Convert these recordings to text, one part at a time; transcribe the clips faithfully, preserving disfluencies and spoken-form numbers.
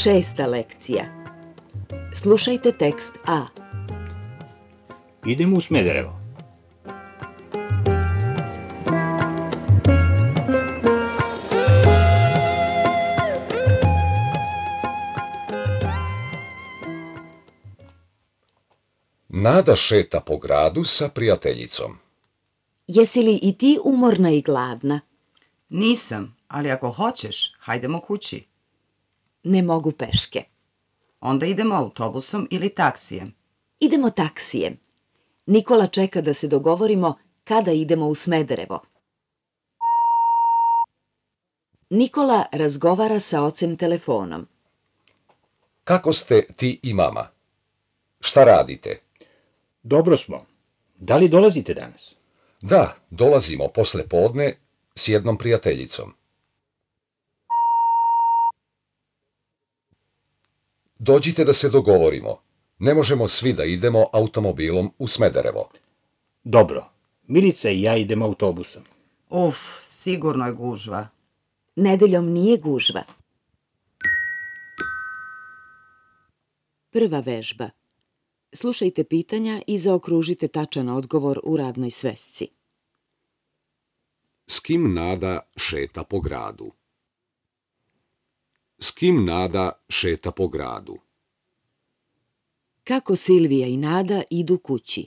Šesta lekcija. Slušajte tekst A. Idemo u Smederevo. Nada šeta po gradu sa prijateljicom. Jesi li i ti umorna i gladna? Nisam, ali ako hoćeš, hajdemo kući. Ne mogu peške. Onda idemo autobusom ili taksijem. Idemo taksijem. Nikola čeka da se dogovorimo kada idemo u Smederevo. Nikola razgovara sa ocem telefonom. Kako ste ti i mama? Šta radite? Dobro smo. Da li dolazite danas? Da, dolazimo posle podne s jednom prijateljicom. Dođite da se dogovorimo. Ne možemo svi da idemo automobilom u Smederevo. Dobro. Milica i ja idemo autobusom. Uf, sigurno je gužva. Nedeljom nije gužva. Prva vežba. Slušajte pitanja i zaokružite tačan odgovor u radnoj svesci. S kim Nada šeta po gradu? S kim Nada šeta po gradu? Kako Silvija i Nada idu kući?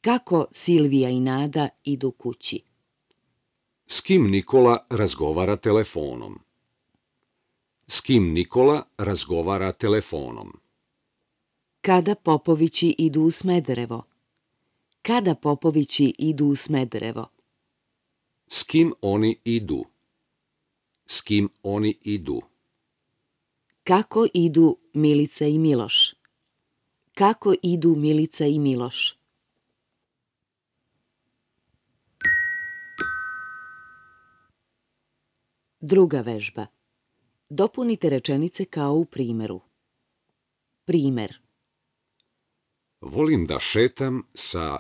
Kako Silvija i Nada idu kući? S kim Nikola razgovara telefonom? S kim Nikola razgovara telefonom? Kada Popovići idu u Smederevo? Kada Popovići idu u Smederevo? S kim oni idu? S kim oni idu? Kako idu Milica i Miloš? Kako idu Milica i Miloš? Druga vežba. Dopunite rečenice kao u primeru. Primer. Volim da šetam sa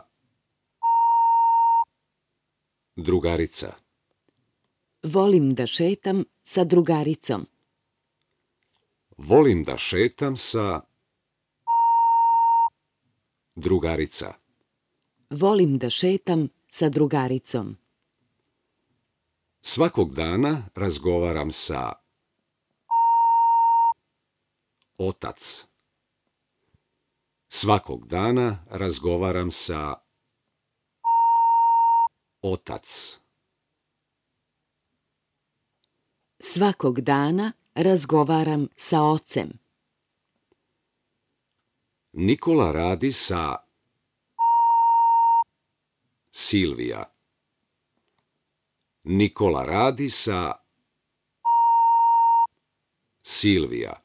drugarica. Volim da šetam sa drugaricom. Volim da šetam sa drugarica. Volim da šetam sa drugaricom. Svakog dana razgovaram sa otac. Svakog dana razgovaram sa otac. Svakog dana razgovaram sa ocem. Nikola radi sa Silvija. Nikola radi sa Silvija.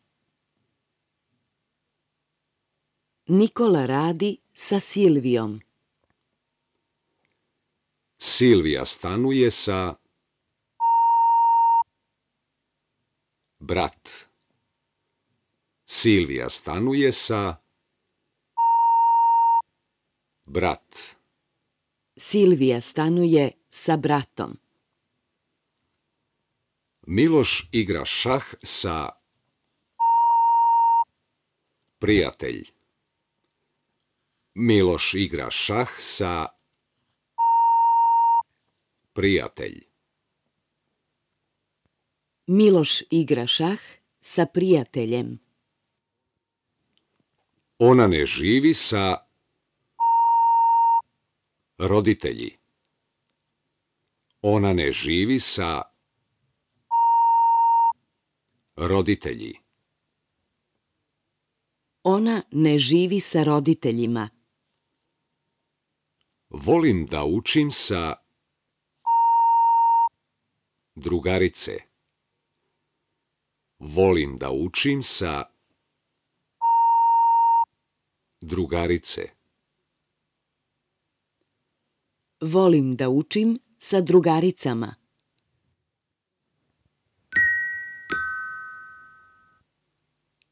Nikola radi sa Silvijom. Silvija stanuje sa brat. Silvija stanuje sa brat. Silvija stanuje sa bratom. Miloš igra šah sa prijatelj. Miloš igra šah sa prijatelj. Miloš igra šah sa prijateljem. Ona ne živi sa roditelji. Ona ne živi sa roditelji. Ona ne živi sa roditeljima. Volim da učim sa drugarice. Volim da učim sa drugarice. Volim da učim sa drugaricama.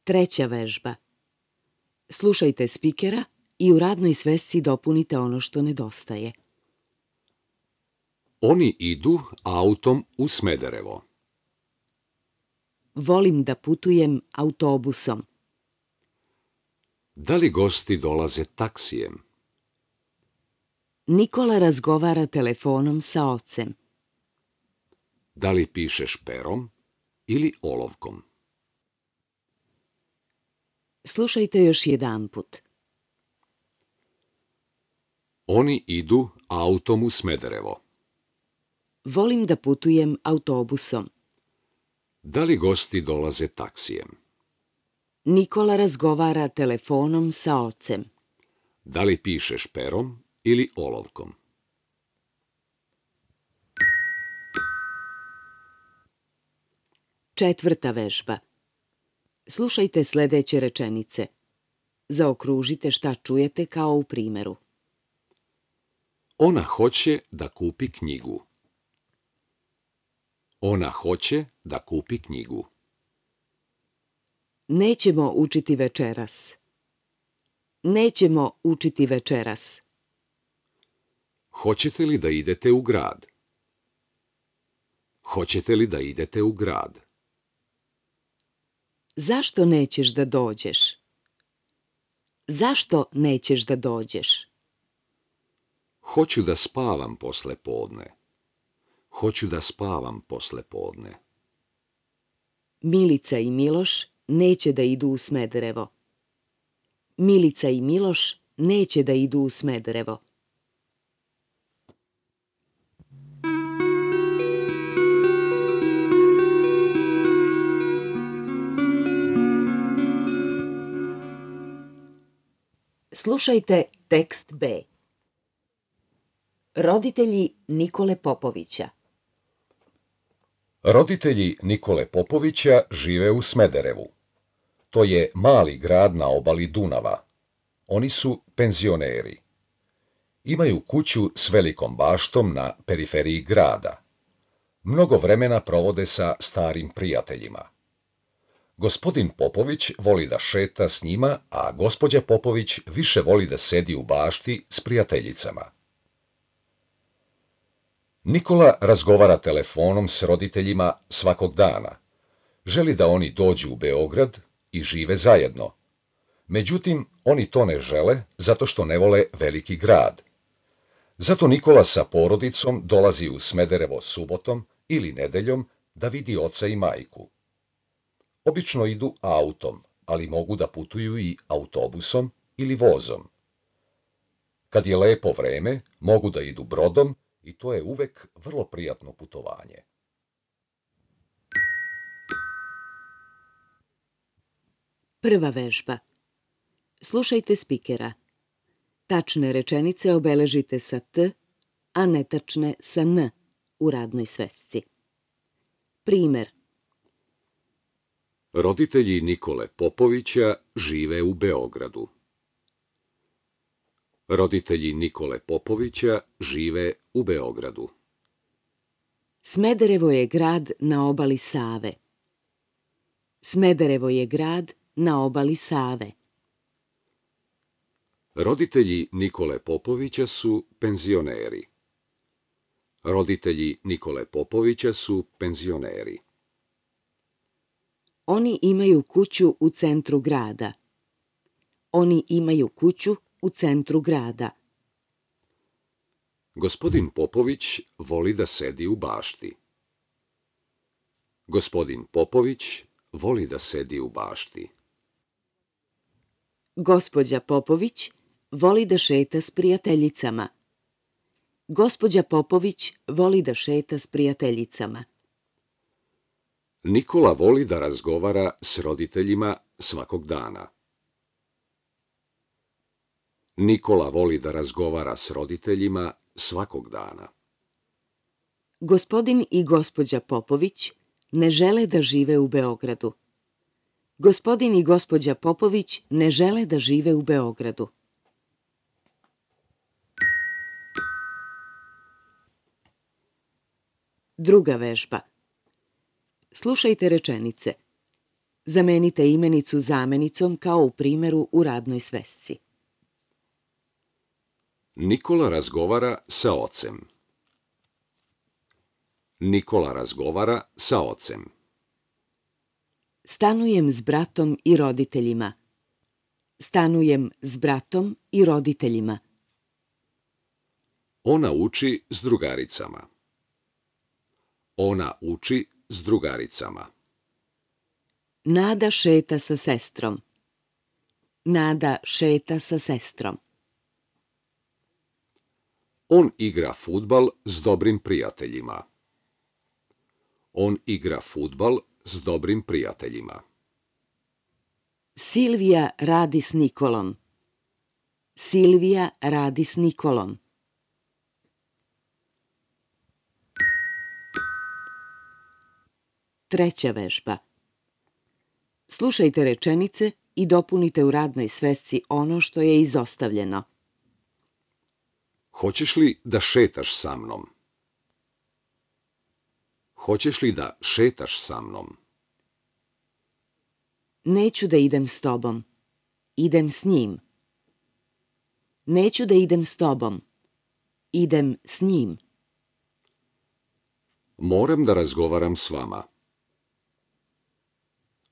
Treća vežba. Slušajte spikera i u radnoj svesci dopunite ono što nedostaje. Oni idu autom u Smederevo. Volim da putujem autobusom. Da li gosti dolaze taksijem? Nikola razgovara telefonom sa ocem. Da li pišeš perom ili olovkom? Slušajte još jedanput. Oni idu autom u Smederevo. Volim da putujem autobusom. Da li gosti dolaze taksijem? Nikola razgovara telefonom sa ocem. Da li pišeš perom ili olovkom? Četvrta vežba. Slušajte sledeće rečenice. Zaokružite šta čujete kao u primeru. Ona hoće da kupi knjigu. Ona hoće da kupi knjigu. Nećemo učiti večeras. Nećemo učiti večeras. Hoćete li da idete u grad? Hoćete li da idete u grad? Zašto nećeš da dođeš? Zašto nećeš da dođeš? Hoću da spavam posle podne. Hoću da spavam posle podne. Milica i Miloš neće da idu u Smederevo. Milica i Miloš neće da idu u Smederevo. Slušajte tekst B. Roditelji Nikole Popovića. Roditelji Nikole Popovića žive u Smederevu. To je mali grad na obali Dunava. Oni su penzioneri. Imaju kuću s velikom baštom na periferiji grada. Mnogo vremena provode sa starim prijateljima. Gospodin Popović voli da šeta s njima, a gospođa Popović više voli da sedi u bašti s prijateljicama. Nikola razgovara telefonom s roditeljima svakog dana. Želi da oni dođu u Beograd i žive zajedno. Međutim, oni to ne žele zato što ne vole veliki grad. Zato Nikola sa porodicom dolazi u Smederevo subotom ili nedeljom da vidi oca i majku. Obično idu autom, ali mogu da putuju i autobusom ili vozom. Kad je lepo vreme, mogu da idu brodom i to je uvek vrlo prijatno putovanje. Prva vežba. Slušajte spikera. Tačne rečenice obeležite sa T, a netačne sa N u radnoj svesci. Primer. Roditelji Nikole Popovića žive u Beogradu. Roditelji Nikole Popovića žive u Beogradu. Smederevo je grad na obali Save. Smederevo je grad na obali Save. Roditelji Nikole Popovića su penzioneri. Roditelji Nikole Popovića su penzioneri. Oni imaju kuću u centru grada. Oni imaju kuću u centru grada. Gospodin Popović voli da sedi u bašti. Gospodin Popović voli da sedi u bašti. Gospođa Popović voli da šeta s prijateljicama. Gospođa Popović voli da šeta s prijateljicama. Nikola voli da razgovara s roditeljima svakog dana. Nikola voli da razgovara s roditeljima svakog dana. Gospodin i gospođa Popović ne žele da žive u Beogradu. Gospodin i gospođa Popović ne žele da žive u Beogradu. Druga vežba. Slušajte rečenice. Zamenite imenicu zamenicom kao u primeru u radnoj svesci. Nikola razgovara sa ocem. Nikola razgovara sa ocem. Stanujem s bratom i roditeljima. Stanujem s bratom i roditeljima. Ona uči s drugaricama. Ona uči s drugaricama. Nada šeta sa sestrom. Nada šeta sa sestrom. On igra fudbal s dobrim prijateljima. On igra fudbal s dobrim prijateljima. Silvija radi s Nikolom. Silvija radi s Nikolom. Treća vežba. Slušajte rečenice i dopunite u radnoj svesci ono što je izostavljeno. Hoćeš li da šetaš sa mnom? Hoćeš li da šetaš sa mnom? Neću da idem s tobom. Idem s njim. Neću da idem s tobom. Idem s njim. Moram da razgovaram s vama.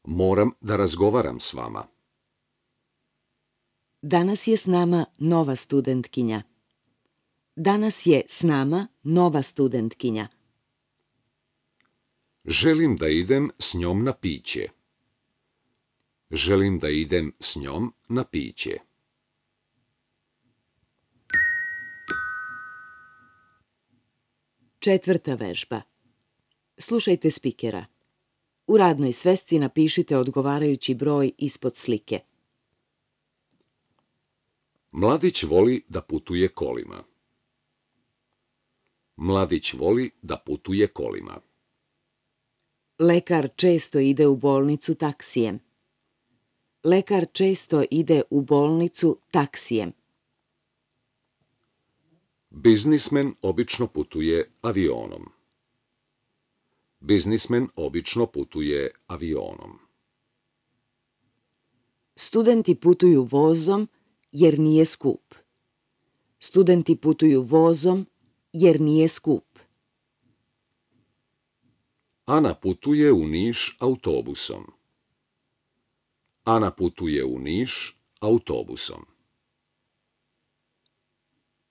Moram da razgovaram s vama. Danas je s nama nova studentkinja. Danas je s nama nova studentkinja. Želim da idem s njom na piće. Želim da idem s njom na piće. Četvrta vežba. Slušajte spikera. U radnoj svesci napišite odgovarajući broj ispod slike. Mladić voli da putuje kolima. Mladić voli da putuje kolima. Lekar često ide u bolnicu taksijem. Lekar često ide u bolnicu taksijem. Biznismen obično putuje avionom. Biznismen obično putuje avionom. Studenti putuju vozom jer nije skup. Studenti putuju vozom jer nije skup. Ana putuje u Niš autobusom. Ana putuje u Niš autobusom.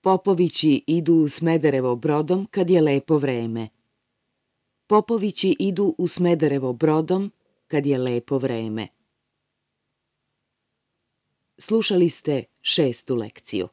Popovići idu u Smederevo brodom kad je lepo vreme. Popovići idu u Smederevo brodom kad je lepo vreme. Slušali ste šestu lekciju.